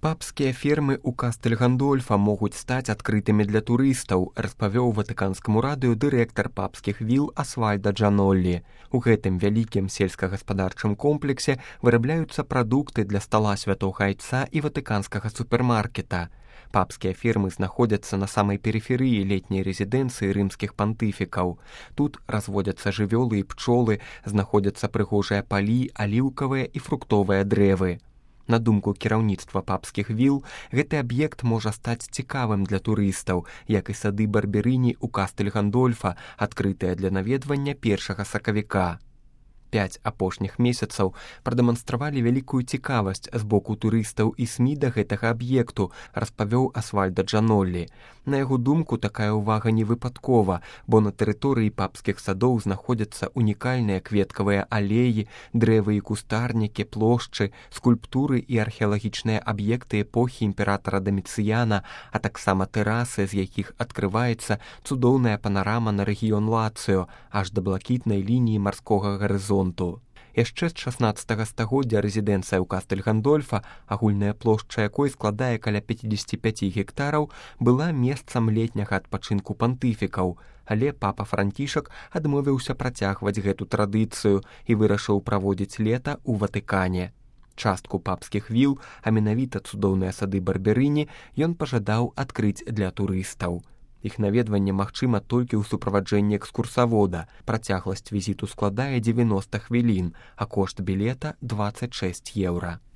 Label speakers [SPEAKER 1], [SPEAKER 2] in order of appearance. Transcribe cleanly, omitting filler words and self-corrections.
[SPEAKER 1] Папскія фермы ў Кастэль-Гандольфа могуць стаць адкрытымі для турыстаў, распавёў ватыканскаму радыё дырэктар папскіх віл Асвальда Джаноллі. У гэтым вялікім сельскагаспадарчым комплексе вырабляюцца прадукты для стала святога айца і ватыканскага супермаркета. Папскія фермы знаходзяцца на самай перыферыі летняй рэзідэнцыі рымскіх пантыфікаў. Тут разводзяцца жывёлы і пчолы, знаходзяцца прыгожыя палі, аліўкавыя і фруктовыя дрэвы. На думку кіраўніцтва папскіх віл, гэты аб'ект можа стаць цікавым для турыстаў, як і сады Барберыні ў Кастэль-Гандольфа, адкрытыя для наведвання 1 сакавіка. 5 апошніх месяцаў прадэманстравалі вялікую цікавасць з боку турыстаў і СМІ да гэтага аб'екту, распавёў Асвальда Джаноллі. На яго думку, такая ўвага не выпадкова, бо на тэрыторыі папскіх садоў знаходзяцца унікальныя кветкавыя алеі, дрэвы і кустарнікі, плошчы, скульптуры і археалагічныя аб'екты эпохі імператара Даміцыяна, а таксама тэрасы, з якіх адкрываецца цудоўная панарама на рэгіён Лацыё, аж да блакітнай лініі марскога гарызонту. Яшчэ з 16 стагоддзя рэзідэнцыя ў Кастэль-Гандольфа, агульная плошча якой складае каля 55 гектараў, была месцам летняга адпачынку пантыфікаў, але папа Францішак адмовіўся працягваць гэту традыцыю і вырашыў праводзіць лета ў Ватыкане. Частку папскіх віл, а менавіта цудоўныя сады Барберыні, ён пажадаў адкрыць для турыстаў. Іх наведванне магчыма толькі ў суправаджэнні экскурсавода. Працягласць візіту складае 90 хвілін, а кошт білета 26 еўра.